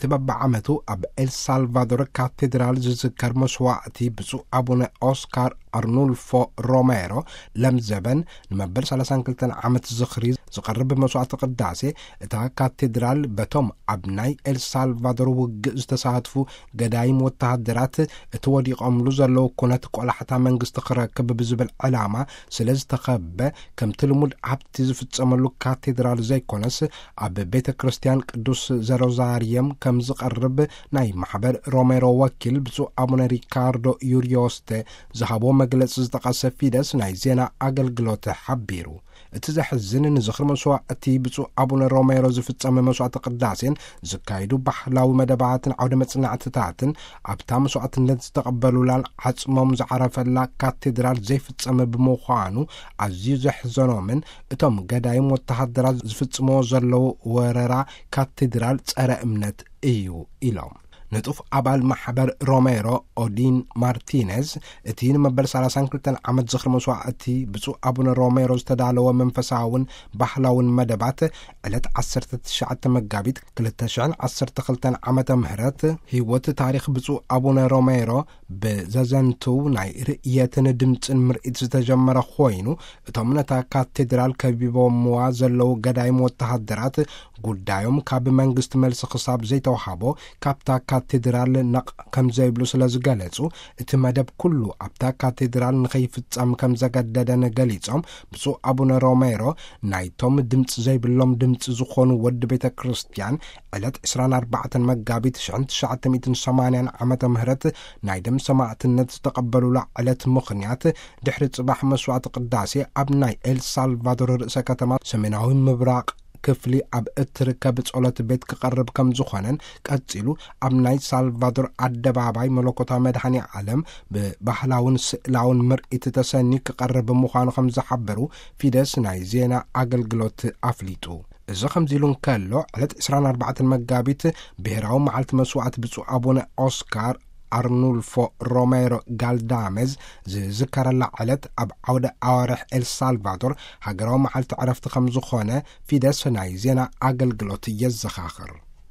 እቲ በብዓመቱ ኣብ ኤልሳልቫዶር ካቴድራል ዝዝከር መስዋዕቲ ብፁዕ ኣቡነ ኦስካር ኣርኑልፎ ሮሜሮ ለምዘበን ንመበል ሰላሳን ክልተን ዓመት ዝኽሪ ዝቐርብ መስዋዕቲ ቅዳሴ፣ እታ ካቴድራል በቶም ኣብ ናይ ኤልሳልቫዶር ውግእ ዝተሳትፉ ገዳይም ወተሃደራት እቲ ወዲቖምሉ ዘለዉ ኩነት ቆላሕታ መንግስቲ ክረክብ ብዝብል ዕላማ ስለ ዝተኸበ፣ ከምቲ ልሙድ ኣብቲ ዝፍጸመሉ ካቴድራል ዘይኮነስ፣ ኣብ ቤተ ክርስቲያን ቅዱስ ዘሮዛርየም ከም ዝቐርብ ናይ ማሕበር ሮሜሮ ወኪል ብፁዕ ኣቡነ ሪካርዶ ዩርዮስተ ዝሃቦ መግለጺ ዝጠቐሰ ፊደስ ናይ ዜና ኣገልግሎት ሓቢሩ። እቲ ዘሕዝን፣ ንዝኽሪ መስዋዕቲ ብፁዕ ኣቡነ ሮሜሮ ዝፍጸመ መስዋዕቲ ቅዳሴን ዝካየዱ ባህላዊ መደባትን ዓውደ መጽናዕትታትን፣ ኣብታ መስዋዕትነት ዝተቐበሉላን ዓጽሞም ዝዓረፈላ ካቴድራል ዘይፍጸም ብምዃኑ ኣዝዩ ዘሕዘኖምን፣ እቶም ገዳይም ወተሃደራት ዝፍጽምዎ ዘለዉ ወረራ ካቴድራል ጸረ እምነት እዩ ኢሎም። ንጡፍ ኣባል ማሕበር ሮሜሮ ኦዲን ማርቲነዝ፣ እቲ ንመበል ሰላሳን ክልተን ዓመት ዝኽሪ መስዋዕቲ ብፁዕ ኣቡነ ሮሜሮ ዝተዳለወ መንፈሳውን ባህላውን መደባት፣ ዕለት ዓሰርተ ትሽዓተ መጋቢት ክልተ ሽሕን ዓሰርተ ክልተን ዓመተ ምህረት ህይወት ታሪኽ ብፁዕ ኣቡነ ሮሜሮ ብዘዘንትው ናይ ርእየትን ድምጽን ምርኢት ዝተጀመረ ኮይኑ፣ እቶም ነታ ካቴድራል ከቢቦምዋ ዘለዉ ገዳይም ወተሃደራት፣ ጉዳዮም ካብ መንግስቲ መልሲ ክሳብ ዘይተውሃቦ፣ ካብታ ካቴድራል ነቕ ከም ዘይብሉ ስለ ዝገለጹ፣ እቲ መደብ ኩሉ ኣብታ ካቴድራል ንኸይፍጸም ከም ዘገደደን ገሊጾም፣ ብፁዕ ኣቡነ ሮሜሮ ናይቶም ድምጺ ዘይብሎም ድምጺ ዝኾኑ ወዲ ቤተ ክርስቲያን፣ ዕለት ዕስራን ኣርባዕተን መጋቢት ሽሕን ትሽዓተ ሚእትን ሰማንያን ዓመተ ምህረት ናይ ደም ሰማዕትነት ዝተቐበሉላ ዕለት ምኽንያት፣ ድሕሪ ጽባሕ መስዋዕቲ ቅዳሴ ኣብ ናይ ኤል ሳልቫዶር ርእሰ ከተማ ሰሜናዊ ምብራቕ ክፍሊ ኣብ እትርከብ ጸሎት ቤት ክቐርብ ከም ዝኾነን፣ ቀጺሉ ኣብ ናይ ሳልቫዶር ኣደባባይ መለኮታዊ መድኃኔ ዓለም ብባህላውን ስእላውን ምርኢት ተሰንዩ ክቐርብ ምዃኑ ከም ዝሓበሩ ፊደስ ናይ ዜና ኣገልግሎት ኣፍሊጡ። እዚ ከምዚ ኢሉ እንከሎ፣ ዕለት ዕስራን ኣርባዕተን መጋቢት ብሔራዊ መዓልቲ መስዋዕት ብፁዕ ኣቡነ ኦስካር ኣርኑልፎ ሮሜሮ ጋልዳሜዝ ዝዝከረላ ዕለት፣ ኣብ ዓውደ ኣዋርሕ ኤል ሳልቫዶር ሃገራዊ መዓልቲ ዕረፍቲ ከም ዝኾነ ፊደስ ናይ ዜና ኣገልግሎት የዘኻኽር።